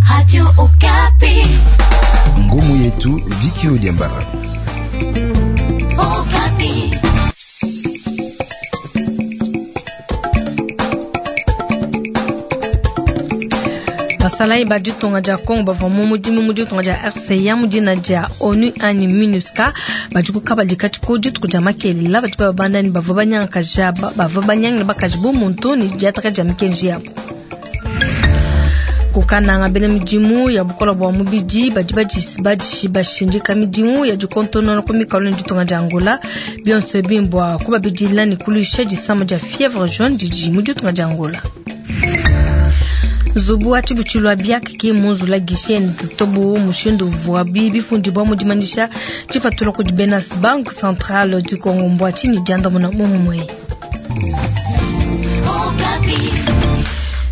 Radio Okapi. Ngumu yetu Viki Odiambara. Okapi. Basalayi ba ditunga dia Congo bavua mu mudimu mu ditunga dia RCA mu dina dia ONU anyi MINUSCA badi ku kabadi katshi dituku dia makelela badi babanda ne bavua banyangakaja bavua banyangila bakaji bu muntu ne diataka dia mikenji yabu. Kukananga bena midimu ya bukola bua mubidi badi badi bashindika midimu ya dikontonona ku mikalu ne ditunga dia Angola bionso ebi mbua kubabidila ne kuluisha disama dia fievre jaune didi mu ditunga dia Angola. Nzubu wa tshibutshilu wa biak ki munzula guichet tobu mushindu uvuabi bifundibua mu dimanyisha tshipatula kudi bena Banque Centrale du Congo mbua tshinyi diandamuna mumue.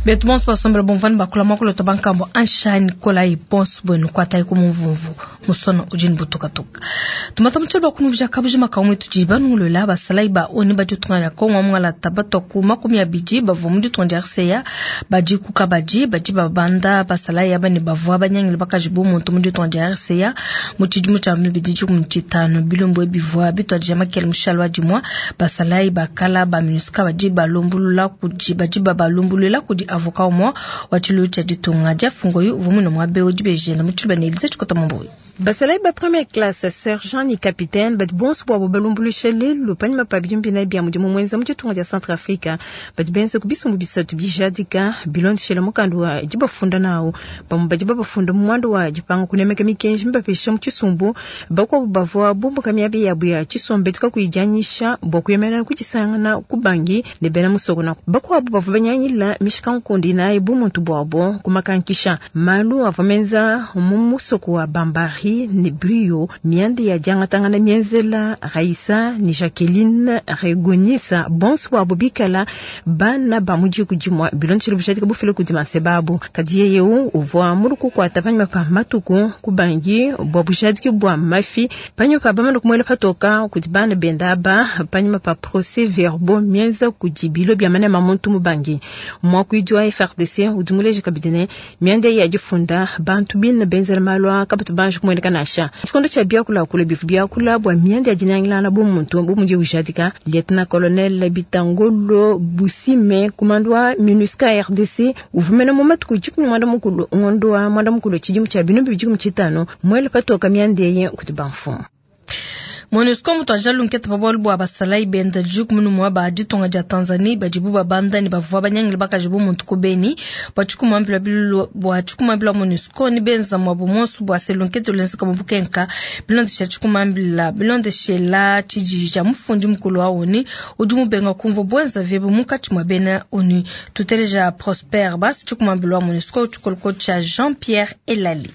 Betu bonso basombela bomvani bakula mwakulota bankambo anshani kolayi bonso bwenu kwatayi ku mumvumvu musona udi butukatuka tumata mutshelo bakunuvija kabujima kamwe tudi banungulula basalayi ba ONU badi ditunga dia Kongo mwalata batwa ku 20 bavua mu ditunga dia RCA badi ku kabadi badi babanda basalayi aba ne bavua banyangile bakaji bu muntu mu ditunga dia RCA mu tshidimu tshia 2015 bilumbu bivua bituadija makele mushalo wa dimua basalayi bakala ba MINUSCA badi balumbulula kudi badi babalumbulula kudi avocat umue wa tshiluilu tshia ditunga dia fungoyu uvua muine muaba eu dibejenda mu tshiluba ne Elise Tshikota Mumbuyi. Basalayi ba première classe sergent ni capitaine badi bonso bwabo balumbuluisha lelu panyima pa bidimu binayi bia mudimu muenza mu ditunga dia Centrafrique badi benza ku bisumbu bisatu bijadika bilondeshela mukanda wa dibafunda nawu bamue badi babafunda mu muanda wa dipanga kunemeka mikenji mibapesha mu tshisumbu bakuabu bavua bumbuka miaba yabu ya tshisombedi kakuyi dianyisha bua kuyemena kudisangana ku bangi ne bena musoko na bakuabu bavua banyangila mishikankundu inayi bu muntu buabo kumakankisha malu avua menza mu musoko wa Bambari ne Brio mianda ya diangatangana mienzela Raissa ne Jacqueline Regonisa bonso bwabo bikala bana ba mu diku dimue bilondeshile bujadika bufila kudi manseba kadi yeye uvua mulukukuata panyima pa matuku kubangi bua bujadiki bua mafi panyima pa bamana kumuela patoka kudi bana benda aba panyima pa procès verbaux mienza kudi bilo bia manema muntu mubangi mwakuidi wa FARDC udi muleje kabidi ne mianda ya difunda bantu bine benzela malu aa kabatu banji kumueneka nansha tshikondo tshia biakulakula bivu biakula bua mianda ya dinangilana bu muntu bu mudi ujadika lieutenant colonel Bitangolo Busime kumando wa MINUSCA RDC uvumena mu matuku 15 ngondo wa mwanda mukulu tshidimu tshia 2025 mwele patoka mianda ye kuti bamfumu. MONUSCO mutuaja lunketa pa bualu bua basalayi benda juku munu mua ba ditunga dia Tanzanie badibu babanda ne bavua banyangile bakaji bu muntu ku Beni bua tshikumambila bilulu bua tshikumambila MONUSCO ni benza muabu monsu bua se lunketa lwenzeka mu bukenka bilondesha tshikumambila bilondeshela tshijiji tshia mufundi mukulu wa ONU udi mubenga kumvua bwenza vyebe munkatshi mua bena ONU tuteleja Prosper Bas tshikumambila wa MONUSCO tshikoloko tshia Jean-Pierre Elali.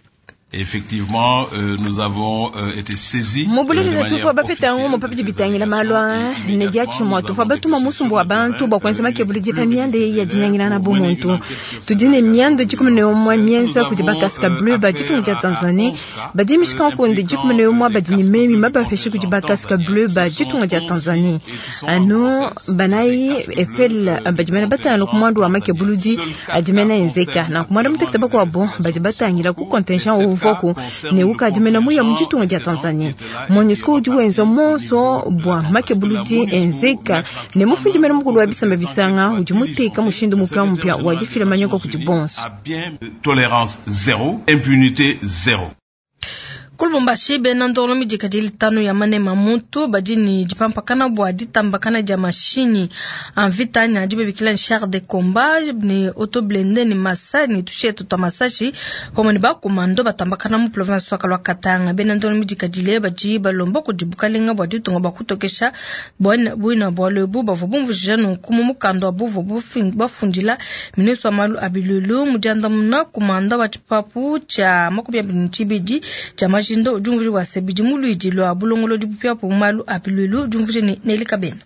Effectivement, nous avons été saisis. Mubululile tuvua bapeta ngumu pabidi bitangila malu aa ne diatshimua tuvua batuma musumbu wa bantu bua kuenza makebuludi pa mianda ya dinangilana bu muntu tudi ne mianda 11 mienza kudi bakasika bleu ba ditunga dia Tanzanie badi mishikankunde 11 badi ne memi mabapeshe kudi bakasika bleu ba ditunga dia Tanzanie anu banayi epel badi mena batanu ku muandu wa makebuludi adi mena enzeka na ku muanda mutekete bakuabu badi batangila ku contingent uvuaku ne ukadimena muya mu ditunga dia Tanzanie MONUSCO udi wenza monso bua makebuludi enzeka ne mufundi mena mukulu wa bisamba bisanga udi muteka mushindu mupya mupya wa difila manyoka kudi bonso. Tolérance zéro, impunité zéro. Ku Lubumbashi bena ndongo midika litano ya manema muntu badi ne dipampakana bua ditambakana dia mashinyi a mvita ne adi babikila ne char de combat ne auto blindé ne masa ne tushetu twa masashi pamue ne bakomando batambakana mu province wa Kalwa Katanga. Bena ndongo midika dile badi balomba kudi bukalenga bua ditunga bua kutokesha buina bualu ebu bavua bumvujija nunku mu mukanda wa buvua bafundila ministre wa malu a bilulu mu diandamuna kumanda wa tshipapu tshia 22 tshia majindo udi umvuija bua se bidi mu luidi lua bulongolodi bupia mu malu a bilulu udi umvuija ne Nelly Kabena.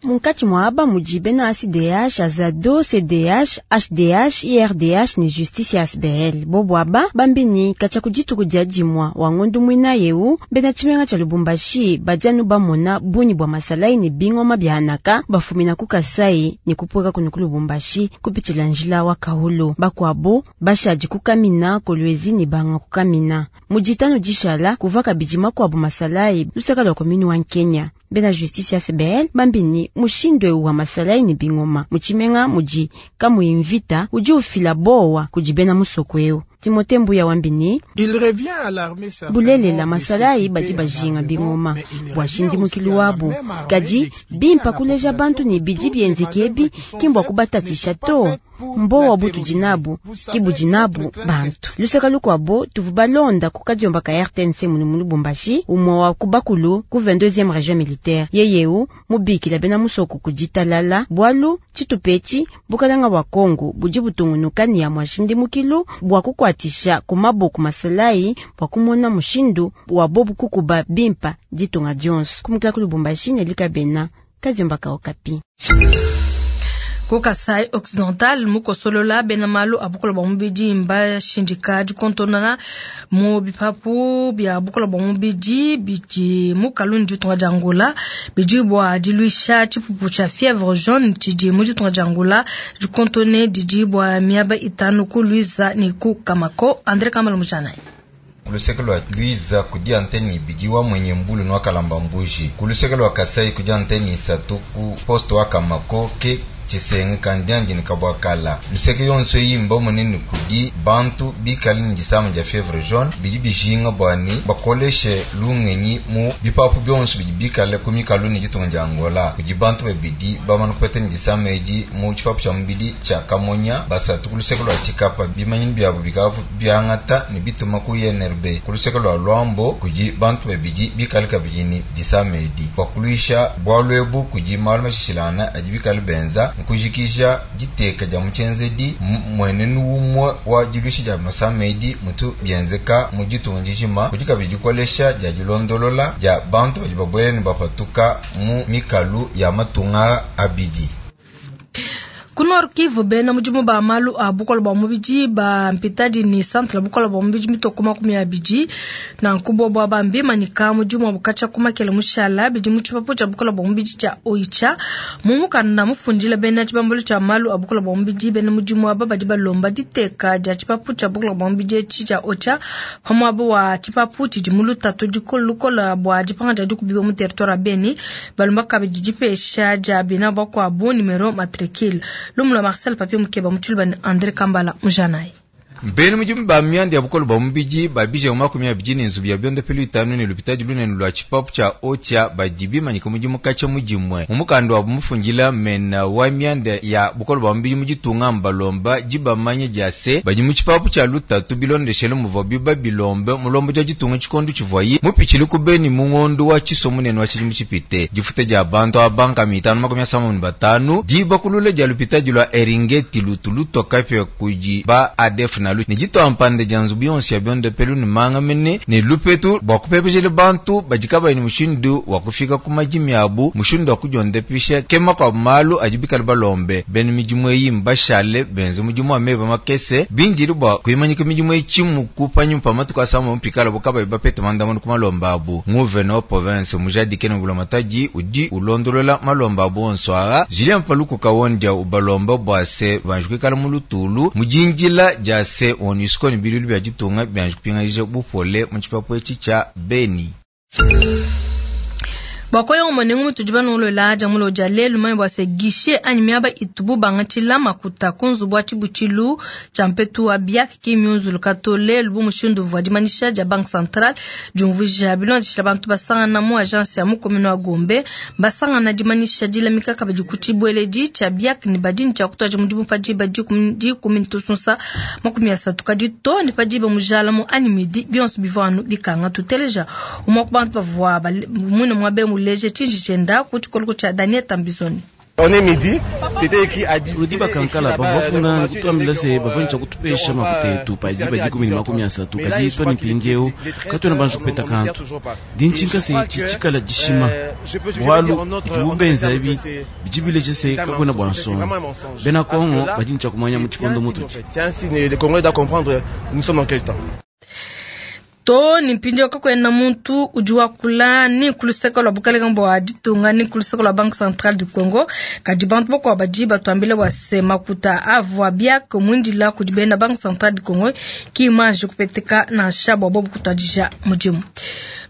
Munkatshi mua aba mudi bena ACDH, Azado, CDH, HDH, IRDH ne Justice ya ASBL. Bobu aba bambi ni katshia ku dituku dia dimua wa ngondu muina yeu bena tshimenga tshia Lubumbashi badi anu bamona bungi bua masalayi ne bingoma bia anaka bafumina ku Kasai ne kupueka kunu ku Lubumbashi kupitshila njila wa Kahulo. Bakuabo bashadi ku Kamina, Kolwezi ne banga ku Kamina. Mu ditanu dishala kuvua kabidi makuabu masalayi lusaka lua commune wa Nkenya. Bena Justice ya ASBL bambi ni mushindu eu wa masalayi ne bingoma mu tshimenga mudi kamuyi mvita udi ufila bowa kudi bena musoko eu. Timothée Mbuya wambi ni bulelela masalayi badi bajinga bingoma bua shindimukilu wabu, kadi bimpa kuleja bantu ne bidi bienzeke ebi ki mbua kubatatisha to. Mbowa butudi nabu ki budi nabu bantu. Lusaka lukuabo tuvu balonda ku kadiomba ka RTNC munu mu Lubumbashi, umue wa ku bakulu ku 22e region militaire yeyeu mubikila bena musoko ku ditalala bualu tshitupetshi bukalanga bua Kongo budi butungunuka ne ya muashindimukilu bua kukuatisha ku maboko masalayi bua kumona mushindu wa bobu kukuba bimpa ditunga dionso. Kumukila ku Lubumbashi ne likabena kadiomba ka Okapi. Ku Kasai Occidental mukosolola bena malu a bukola bua mubidi mbashindika dikontonona mu bipapu bia bukola bua mubidi bidi mu Kalundu ditunga dia Angola bidi bua diluisha tshipupu tshia fièvre jaune tshidi mu ditunga dia Angola dikontone didi bua miaba itanu ku Luiza ne ku Kamako. André Kambala Mujanayi. Ku luseke lua Luiza kudi antenne ibidi wa mwenye mbulu ne wa kalamba mbuji. Ku luseke lua Kasai kudi antenne isatu ku poste wa Kamako ke Tshisenge kandiandi ne Kabwakala. Luseke yonso eyi mbamone ne kudi bantu bikale ne disama dia fièvre jaune bidi bijinga bua ne bakoleshe lungenyi mu bipapu bionso bidi bikale ku mikalu ne ditunga dia Angola. Kudi bantu babidi bamane kupeta ne disama edi mu tshipapu tshia mubidi tshia Kamonya, basatu ku luseke lua Tshikapa bimanyinu biabu bikavu biangata ne bituma ku INRB. Ku luseke lua Luambo kudi bantu babidi bikale kabidi ne disama edi. Bua kuluisha bualu ebu kudi malu mashishilangana adi bikale benza nkujikija diteka dia mutshienzedi mmuenenu umue wa diluisha dia masama edi mutu bienzeka mu ditunga dijima. Kudi kabidi dikolesha dia dilondolola dia bantu badi babuela ne bapatuka mu mikalu ya matunga abidi. Ku Nord Kivu bena mudimu ba malu a bukola bua mubidi ba mpitadi ne centre bukola bua mubidi mitoko 20 nanku bobo aba mbimanyika mudimu wa bukatshia ku makele mushala bidi mu tshipapu tshia bukola bua mubidi tshia Oicha. Mu mukanda mufundila bena tshibambalu tshia malu a bukola bua mubidi bena mudimu aba badi balomba diteka dia tshipapu tshia bukola bua mubidi etshi tshia Oicha pa muaba wa tshipapu tshidi mu lutatu lukola bua dipanga dia dikubiwa mu territoire ya Beni. Balomba kabidi dipesha dia bina bakuabu numero matricule. Lumula Marcel Papier Mukeba mu tshiluba ne André Kambala Mujanayi. Bena mudimu ba mianda ya bukole bua mubidi babija 20 ne nzubu ya biondopelu itanu ne lupitadi lunene lua tshipapu tshia Oicha badi bimanyika mudimu katshia mu dimue. Mu mukanda wabu mufundila mena wa mianda ya bukole bua mubidi mu ditunga mbalomba dibamanya dia se badi mu tshipapu tshia lutatu bilondeshele muvua biba bilombe mulombo dia ditunga tshikondo tshivuayi mupitshile ku Beni mu ngondo wa tshiso munene wa tshidimu tshipite. Difuta dia bantu aba banka 555 dibakulula dia lupitadi lua Eringeti lutu lutoka pia kudi ba ADF nalu ne ditua mpanda dia nzubu yonso ya biondopelu ne manga mene ne lupetu bua kupepejela bantu badi kabayi ne mushindu wa kufika ku madimi abu mushindu wa kudiondopisha kema kwa malu adi bikale balombe. Bena midimu eyi mbashale benze mudimu wa meba makese bindile bua kuimanyika midimu eyi tshimuku panyima pa matuku asambombo mpikala bo kabayi bapete mandamuna ku malomba abu. Nguvene wa province mujadike ne bulamatadi udi ulondolola malomba abu onso aa. Julien Paluku Kawondia ubalomba bua se banji kuikala mu lutulu mu dindila dia se MONUSCO ne bilulu bia ditunga bianji kupinganija bupole mu tshipapu etshi tshia Beni. Bua koya omonengu mutudi banolola dia mulo dia lelu manye bua se guichet anyi miaba itubu bangatshila makuta ku nzubu wa tshibutshilu tshia mpetu wa BIAC ki miunzuluka to lelu bu mushindu uvua dimanyisha dia Banque Centrale diumvuija bilondeshila bantu basangana mu agence ya mu commune wa Gombe basangana dimanyisha dilamika kabidi ku tshibueledi tshia BIAC ne badi tshia kutuaja mudimu pa diba dikumi ntusunsa 30 kadi to ne pa diba mujala mu anyi midi bionso bivua anu bikanga tuteleja umwe ku bantu bavua mwine mwabe muleje tshinji tshienda ku tshikoloko tshia Daniel Tambizoni. Rudi Bakankala bavua bafunda ne kutuambila se bavua ne tshia kutupesha makuta etu pa diba dikumi ne makumi asatu, kadi tua ne mpindieu katuena banji kupeta kantu. Ndi ntshinka se etshi tshikala dishima, bualu bidibu benza ebi bidi bileja se kakuena bua nsongo. Bena Kongo badi ne tshia kumanya mu tshikondo mutudi. To ne mpindieu kakuena muntu udi wakula ni ku luseke lua bukalenge bua ditunga ni ku luseke lua Banque Centrale du Congo, kadi bantu bakuabu badi batuambila bua se makuta avua BIAC muindila kudi bena Banque Centrale du Congo ki mmanji kupeteka nansha bua bobu kutuadija mudimu.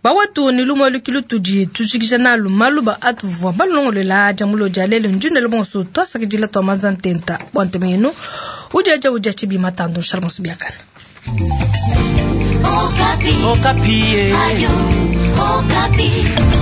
Bawetu ne lumue lukilu tudi tujikija nalu maluba atuvua balongolola dia mulo dia lelu ndindele bonso tuasakidila tua manza ntenta bua ntema yenu udiadia udia tshibi matandu nshala bonso biakana. Okapi. Okapi. Radio Okapi.